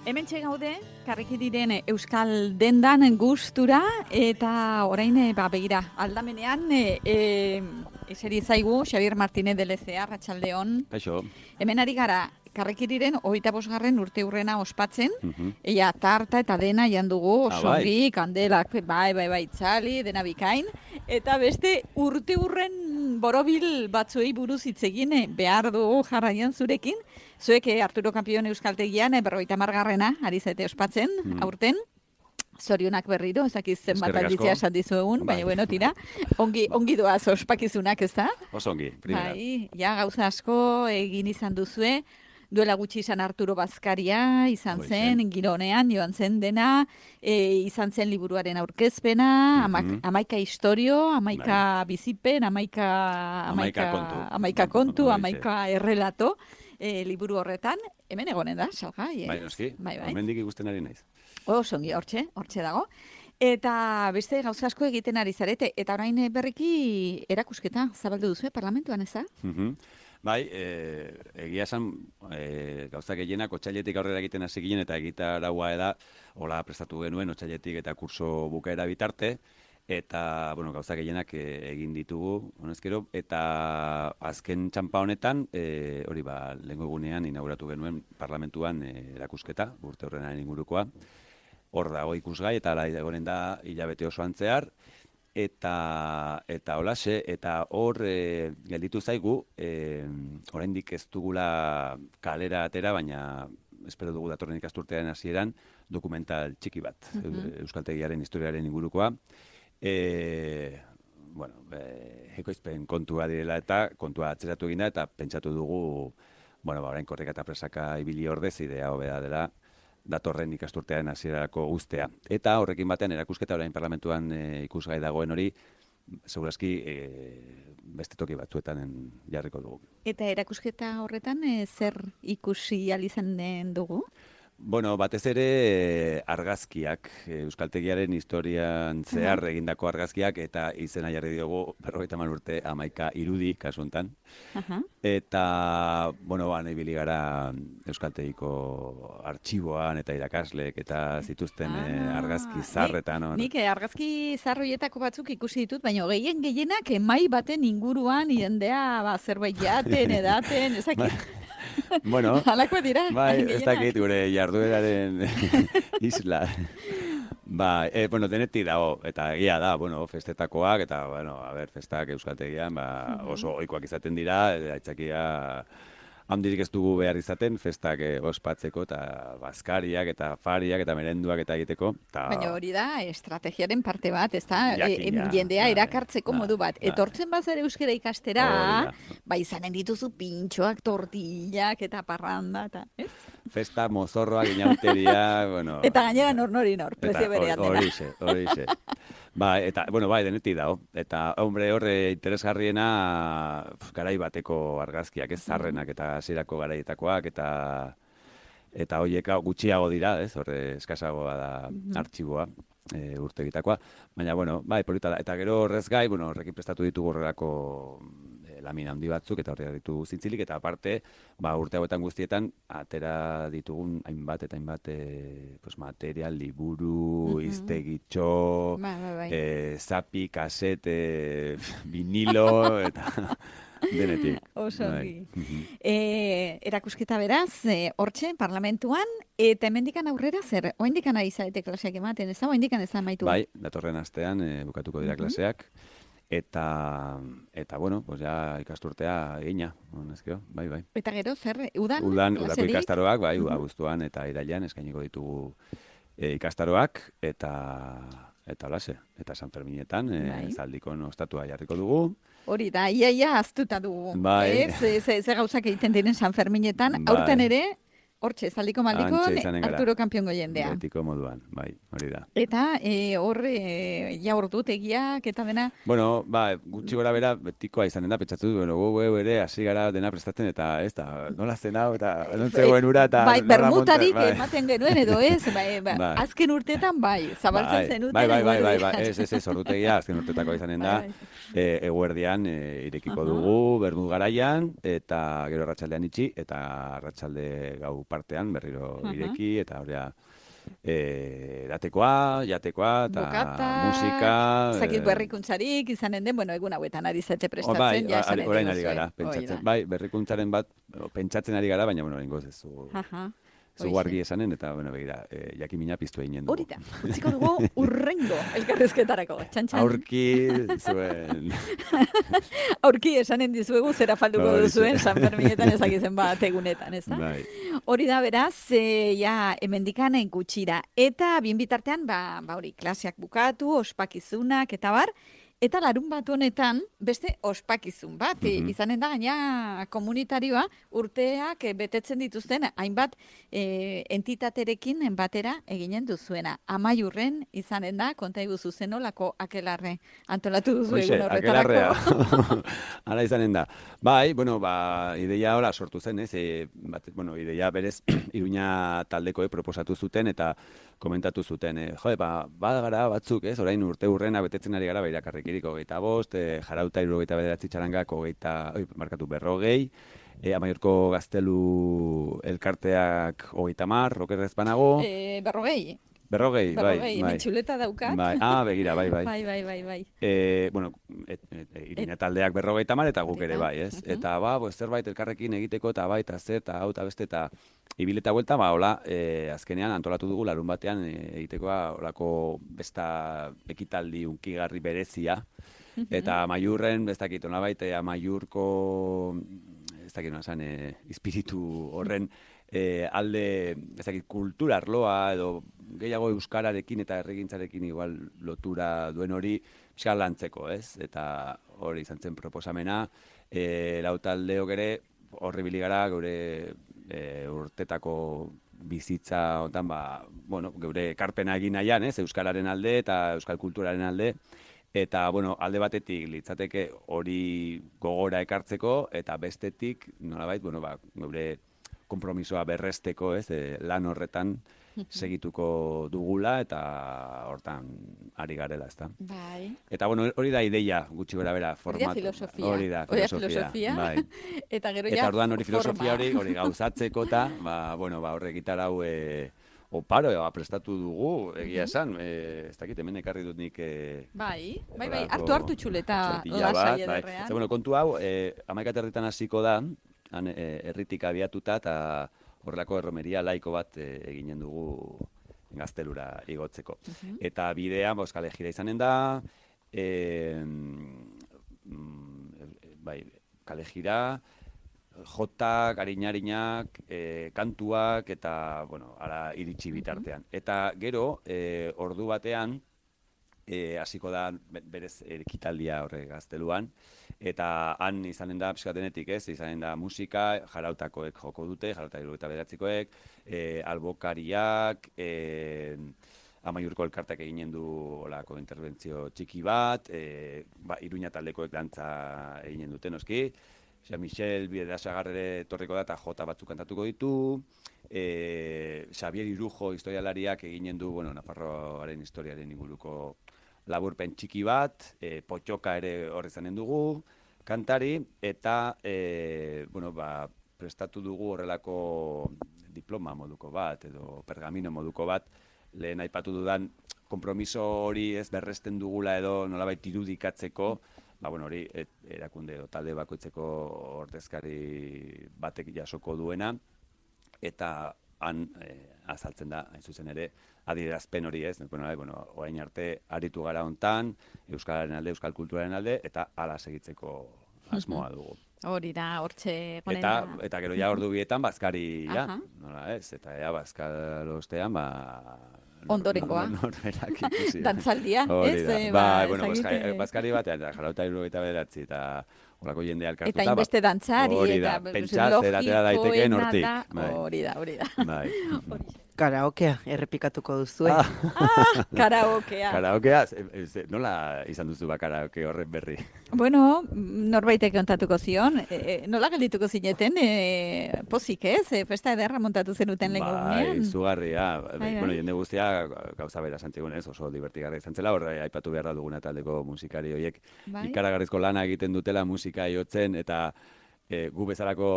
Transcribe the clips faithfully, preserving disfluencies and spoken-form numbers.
Hementxe gaude, karriki diren Euskal Dendan gustura eta orain ba begira, aldamenean e, e, eseri zaigu Xabier Martínez de Lezea, Arratsaldeon. Kaixo. Hemen ari gara karrikiriren hogeita bosgarren urte urrena ospatzen, Mhm. ea tarta eta dena jan dugu, Ah, osongi, kandelak, bai, bai, bai, txali, dena bikain, eta beste urte urren borobil batzuei buruz hitz egin eh, behar dugu jarraian zurekin, zuek eh, Arturo Kampion Euskaltegian, eh, berrogeita hamargarrena ari zaite ospatzen, Mm. aurten, zorionak berriro, ezakiz zenbat Eskerrik asko. aldizia esan dizuegun, baina Bai. bueno, tira, ongi, ongi doaz ospakizunak, ez da? Oso ongi, primera. Bai, ja, gauza asko egin izan duzue, duela gutxi izan Arturo Bazkaria, izan Hoi zen, zen. gironean, joan zen dena, e, izan zen liburuaren aurkezpena, Mhm. ama, amaika historio, amaika bizipen, amaika, Hamaika kontu. amaika kontu, Horixe. amaika errelato, e, liburu horretan, hemen egonen da, salgai, ez? Bai, noski, Bai, bai. hemendik ikusten ari naiz. Oso ongi, hortxe, hortxe dago. Eta beste gauza asko egiten ari zarete, eta orain eh, berriki erakusketa zabaldu duzu, parlamentuan, ez da? Mhm. Bai, e, egia esan e, gauza gehienak otsailetik aurrera egiten hasi ginen eta egitaraua da, hola prestatu genuen otsailetik eta kurso bukaera bitarte, eta bueno, gauza gehienak e, egin ditugu, honezkero, eta azken txanpa honetan, e, hori ba, lehengo egunean inauguratu genuen parlamentuan e, erakusketa, urte horrenaren ingurukoa, hor dago ikusgai, eta ala egonen da hilabete osoan zehar, eta eta holaxe, eta hor e, gelditu zaigu, e, oraindik ez dugula kalera atera, baina espero dugu datorren ikasturtearen hasieran dokumental txiki bat, Mhm. Euskaltegiaren historiaren ingurukoa. E, bueno, e, ekoizpen kontua direla eta kontua atzeratu egin da, eta pentsatu dugu, bueno, ba, orain korrika eta presaka ibili ordez, idea hobea dela, datorren ikasturtearen hasierarako uztea. Eta horrekin batean erakusketa orain parlamentuan e, ikusgai dagoen hori, segurazki e, beste toki batzuetan en- jarriko dugu. Eta erakusketa horretan eh, zer ikusi ahal izanen dugu? Bueno, batez ere e, argazkiak, e, Euskaltegiaren historian zehar egindako argazkiak, eta izena jarri diogu berrogeita hamar urte hamaika irudi kasu honetan. Aha. Eta, bueno, ba, nahi bili gara Euskaltegiko artxiboan eta irakasleek eta zituzten eh, Ah, argazki nik- zarretan. hor. Nik eh, argazki zarroietako batzuk ikusi ditut, baina gehien gehienak emai baten inguruan jendea ba, zerbait jaten, edaten, ezakit. Bueno, Halako dira. bai, ez gehienak. dakit gure jardueraren isla. Ba, e, bueno, denetik dago, eta egia da, bueno, festetakoak, eta, bueno, a ber, festak Euskaltegian, ba, oso ohikoak izaten dira, e, aitzakia handirik ez dugu behar izaten, festak e, ospatzeko, eta bazkariak, eta fariak, eta merenduak, eta egiteko. Ta, Baina hori da, estrategiaren parte bat, ez da, Jakina, jendea bai, erakartzeko bai, modu bat. bai. Etortzen bazare euskara ikastera, Hori da. ba izanen dituzu pintxoak, tortillak eta parranda, eta, ez? Festa, mozorroak, inauteria, bueno... Eta gainera nor nori nor, Eta prezio berean hori- dena. Horixe, horixe. Ba, eta, bueno, bai, denetik dago. Eta, hombre, horre interesgarriena pf, garai bateko argazkiak, ez zarrenak eta hasierako garaietakoak, eta eta hoiek hau gutxiago dira, ez, horre eskasagoa da artxiboa, e, urtegitakoa. Baina, bueno, bai, polita da. Eta gero horrez gai, bueno, horrekin prestatu ditugu horrelako e, lamina handi batzuk, eta horrela ditugu zintzilik, eta aparte, ba, urte hauetan guztietan, atera ditugun hainbat eta hainbat e, pues, material, liburu, Mhm. iztegitxo, Bai, bai, bai. e, zapi, kasete, vinilo, eta denetik. Oso Bai. ongi. Mhm. E, erakusketa beraz, e, hortxe, parlamentuan, eta hemendikan aurrera zer? Oendikan ari zaete klaseak ematen, ez da? Oendikan ez da amaitu? Bai, datorren astean e, bukatuko dira klaseak, eta, eta bueno, pues ja ikasturtea egina, honezkeo, bai, bai. Eta gero, zer, udan? Udan, udako klaserik? ikastaroak, bai, Mhm. abuztuan eta irailean eskainiko ditugu e, ikastaroak, eta eta holase, eta San Ferminetan e, Bai. zaldikon ostatua jarriko dugu. Hori da, ia, ia aztuta dugu. Bai. Ez, ze, ze, ze gauzak egiten diren San Ferminetan, Bai. aurten ere, hortxe, zaldiko maldiko, Hantxe izanen gara. Arturo Kampion jendea. Betiko moduan, bai, hori da. Eta e, hor, e, ja ordutegiak eta dena, Bueno, ba, gutxi gora bera betikoa izanen da, pentsatu du, bueno, gu gu ere hasi gara dena prestatzen, eta ez da, nola zen hau, eta non zegoen ura, eta bai, nola bermutarik monta- bai. ematen genuen edo ez, bai, ba, Bai. azken urtetan bai, zabaltzen Bai, zenuten. bai, bai, bai, bai, eguerdian. bai, ez, ez, ez, ordutegia, azken urtetakoa izanen da, Bai, e, eguerdian e, irekiko Aha. dugu, bermut garaian, eta gero arratsaldean itxi, eta arratsalde gau partean, berriro uh-huh. ireki, eta horea, E, datekoa, jatekoa, eta Bokata, musika... Zakit berrikuntzarik izanen den, bueno, egun hauetan ari zete prestatzen, bai, ja esanen orain ari gara, pentsatzen. Bai, berrikuntzaren bat, pentsatzen ari gara, baina, bueno, ingoz ez zu... Zugu argi esanen, eta, bueno, begira, e, jakimina piztu eginen dugu. Horita, utziko dugu urrengo elkarrezketarako, txantxan. Aurki zuen... Aurki esanen dizuegu zera falduko no, duzuen San Ferminetan ezakizen bat egunetan, ez da? Bai. Hori da, beraz, e, ja, emendikanen gutxira. Eta, bien bitartean, ba, ba hori, klaseak bukatu, ospakizunak, eta bar, eta larun bat honetan, beste ospakizun bat, mm-hmm. izanen da, gaina komunitarioa, urteak betetzen dituzten, hainbat e, entitaterekin batera eginen duzuena. Amaiurren izanen da, konta iguzu zenolako akelarre antolatu duzu egun horretarako. Hala izanen da. Bai, bueno, ba, ideia hola sortu zen, ez? E, bat, bueno, ideia berez, Iruña taldekoek proposatu zuten, eta komentatu zuten, e, jo, ba, badagara batzuk, ez? Orain urte urrena betetzen ari gara, bairakarrik hogeita bost, e, jarauta irurogeita bederatzi txarangak, hogeita, oi, markatu berrogei, e, Amaiurko Gaztelu elkarteak hogeita mar, rokerrez banago. E, berrogei. Berrogei, bai. Berrogei, hemen txuleta daukat. Bai, ah, begira, bai, bai. Bai, bai, bai, bai. E, bueno, et, et, et, Iruña taldeak berrogeita mar, eta guk ere bai, ez? Uh-huh. Eta, ba, bo, zerbait elkarrekin egiteko, eta bai, eta zer, eta hau, eta beste, eta ibileta buelta, ba, hola, e, azkenean antolatu dugu larun batean e, egitekoa, holako besta ekitaldi unkigarri berezia, uh-huh. eta Amaiurren, ez dakit, nolabait, Amaiurko, ez dakit, nolazan, e, espiritu horren, E, alde, ez dakit, kultura arloa edo gehiago euskararekin eta erregintzarekin igual lotura duen hori pixka lantzeko, ez? Eta hori izan zen proposamena, e, lau taldeok ere horri biligara gure e, urtetako bizitza ontan, ba, bueno, geure ekarpena egin nahian, ez? Euskararen alde eta euskal kulturaren alde. Eta, bueno, alde batetik litzateke hori gogora ekartzeko, eta bestetik, nolabait, bueno, ba, geure konpromisoa berresteko, ez, e, lan horretan segituko dugula eta hortan ari garela, ezta. Bai. Eta bueno, hori da ideia, gutxi gora bera, format. Hori da filosofia. Hori da filosofia. Bai. Eta gero ja Eta orduan hori filosofia hori, hori gauzatzeko eta, ba, bueno, ba, horre gitarau e, oparo, eba, prestatu dugu, egia esan, e, ez dakit, hemen ekarri dut nik... E, bai, bai, bai, hartu hartu txuleta lasai ederrean. Bai. Bueno, kontu hau, e, amaika territan hasiko da, han herritik abiatuta eta horrelako erromeria laiko bat e, eginen dugu Gaztelura igotzeko. Uh-huh. Eta bidea, boz, kale jira izanen da, e, mm, bai, kale jira, jotak, ariñarinak, e, kantuak eta, bueno, ara iritsi bitartean. Uh-huh. Eta gero, e, ordu batean, E, hasiko da berez ekitaldia horre Gazteluan, eta han izanen da pixkatenetik, ez, izanen da musika, jarautakoek joko dute, jarauta hirurogeita bederatzikoek, e, albokariak, e, Amaiurko elkartak eginen du olako interbentzio txiki bat, e, ba, Iruña taldekoek dantza eginen dute noski, Jean-Michel Biedasagarre torriko da eta jota batzuk kantatuko ditu, e, Xavier Irujo historialariak eginen du, bueno, Nafarroaren historiaren inguruko laburpen txiki bat, e, potxoka ere horre zanen dugu, kantari, eta, e, bueno, ba, prestatu dugu horrelako diploma moduko bat, edo pergamino moduko bat, lehen aipatu dudan, konpromiso hori ez berresten dugula edo nolabait irudikatzeko, ba, bueno, hori et, erakunde edo talde bakoitzeko ordezkari batek jasoko duena, eta han e, azaltzen da, hain zuzen ere, adierazpen hori ez, bueno, bueno, orain arte aritu gara hontan, euskararen alde, euskal kulturaren alde, eta hala segitzeko asmoa dugu. Hori da, hortxe gonen eta, da. Eta gero ja ordu bietan, bazkari, ja, nola ez, eta ea bazkal ostean, ba... Ondorengoa. Norberak ikusi. Dantzaldia, ez? Ba, ba, bueno, bazkari batean, jarauta hirurogeita bederatzi, eta horako jendea elkartuta. Eta inbeste dantzari, hori da, pentsatzen atera daiteken hortik. Hori da, hori da. Bai. Karaokea, errepikatuko duzu, eh? Ah, karaokea. Karaokea, nola izan duzu ba karaoke horren berri? Bueno, norbaitek kontatuko zion, e, nola geldituko zineten, e, pozik ez, e, festa ederra montatu zenuten lehen gunean. Bai, zugarria, bueno, jende guztia gauza bera santzigun ez, oso divertigarra izan zela, horre aipatu beharra duguna taldeko musikari horiek bai? Ikaragarrizko lana egiten dutela musika jotzen, eta e, gu bezalako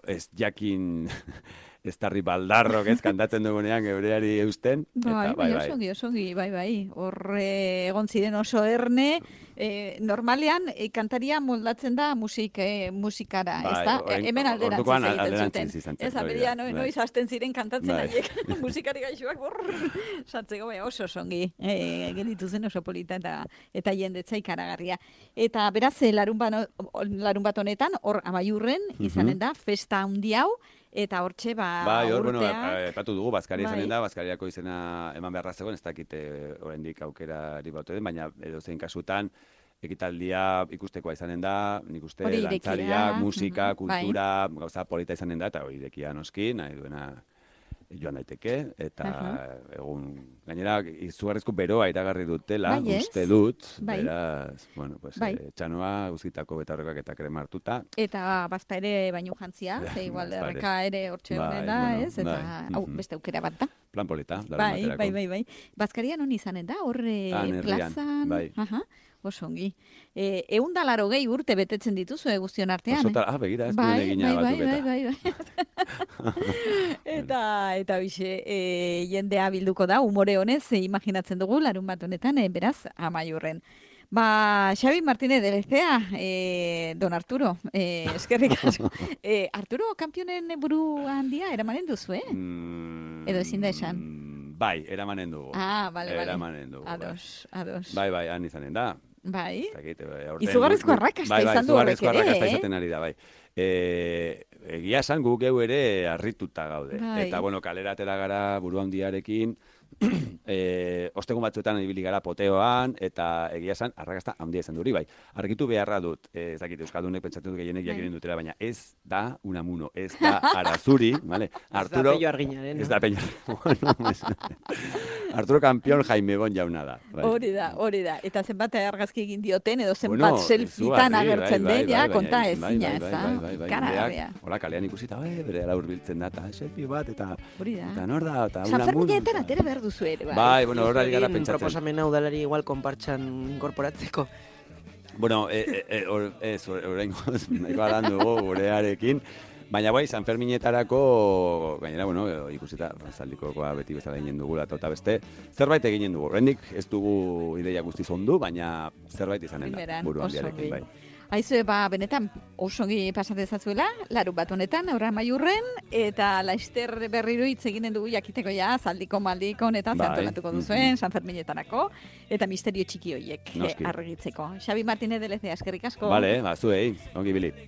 ez jakin Estarri baldarrok ez kantatzen dugunean geureari eusten. Bai, eta, bai, bai, osongi, osongi, bai, bai. Hor eh, egon ziren oso erne, eh, normalean eh, kantaria moldatzen da musik, eh, musikara, Bai, ez da? orain- Hemen alderantziz ordukoan egiten zuten. alderantziz izan zen, Ez, hori aberia, da, no, bai. noiz hasten ziren kantatzen Bai. haiek, musikari gaixoak, borr, sartzeko, bai, oso osongi, eh, gelditu zen oso polita eta, eta jendetza ikaragarria. Eta beraz, eh, larun, bano, larun bat honetan, hor amaiurren, izanen da, festa handi hau, eta hortxe, ba, Bai, hor, bueno, urteak- epatu dugu, Bazkaria Bai. izanen da, Bazkariako izena eman beharra zegoen, ez dakite oraindik aukerari baute den, baina edozein kasutan, ekitaldia ikustekoa izanen da, nik uste, Hori irekia, dantzariak, musika, mhm, bai. kultura, gauza polita izanen da, eta hori irekia noski, nahi duena joan daiteke, eta egun, gainera, izugarrizko beroa iragarri dutela, Bai, ez? uste dut, Bai. beraz, bueno, pues, Bai. eh, txanoa, guztitako betaurrekoak eta krema hartuta, Eta bazta ere baino jantzia, ze igual Bazta ere. erreka ere hortxe Bai, honen da, bueno, ez? Eta, bai, hau, mhm. beste aukera bat da. plan polita, larun Bai, baterako. bai, bai, bai. Bazkaria non izanen da, horre Han, herrian, plazan. bai. Aha, oso ongi. E, egun da laro gehi urte betetzen dituzu, eh, guztion artean. Osota, ah, begira, ez bai, duen egina bai, bai, batuketa. bai, bai, bai. eta, eta bixe, e, jendea bilduko da, umore honez, e, imaginatzen dugu, larun bat honetan, e, beraz, amaiurren. Ba, Xabi Martínez de Lecea, eh, don Arturo, eh, eskerrik asko. eh, Arturo, kampionen buru handia, eramanen duzu, eh? Mm, Edo ezin da esan? Bai, eramanen dugu. Ah, bale, bale. Eramanen dugu. bai. Ados, ados. Bai, bai, han izanen da. Bai. Ez dakit, eh, aurten Izugarrizko gu- arrakasta bai, bai, izan du horrek izugarrizko ere, arrakasta eh? izaten ari da, bai. E, egia esan gu geu ere harrituta gaude. Bai. Eta, bueno, kalera atera gara buru handiarekin, e, ostegun batzuetan ibili gara poteoan, eta egia esan, arrakasta handia izan duri, bai. Argitu beharra dut, e, ez dakit, Euskaldunek pentsatzen dut gehienek Bai. jakinen dutela, baina ez da Unamuno, ez da Arazuri, vale? Arturo, Pello Arginaren. Ez da Peña. Bueno, ez- Arturo Kampion Jaime Bon jauna da. Bai. Hori da, hori da. Eta zenbat argazki egin dioten, edo zenbat Bueno, selfietan izugarri, agertzen bai, bai, den, ja, bai, konta bai, ezina, bai, ez bai, da? bai, bai, bai, Karagarria. jendeak, hola, kalean ikusita, bai, bere ala hurbiltzen da, eta selfie bat, eta, Hori da. eta nor da, eta San Unamuno, Ferminetan eta- atera behar duzu ere, bai. Bai, bueno, hor ari gara Egin pentsatzen. proposamena udalari igual konpartxan inkorporatzeko. Bueno, e, e, e, or, ez, oraingoz, nahikoa lan dugu gurearekin, baina bai, San Ferminetarako, gainera, bueno, ikusita, zaldikokoa beti bezala egin dugula, eta beste, zerbait eginen dugu. Oraindik ez dugu ideia guztiz ondu, baina zerbait izanen da, Primeran, buru oso handiarekin, ongi. bai. Aizue, ba, benetan, oso ongi pasatezazuela, larun bat honetan, aurra maiurren, eta laister berriro hitz eginen dugu jakiteko ja, zaldiko maldiko honetan Bai, zantolatuko duzuen, San Ferminetanako, eta misterio txiki horiek eh, Noski. argitzeko. Xabi Martínez de Lecea, eskerrik asko. Vale, ba, zuei, ongi bili.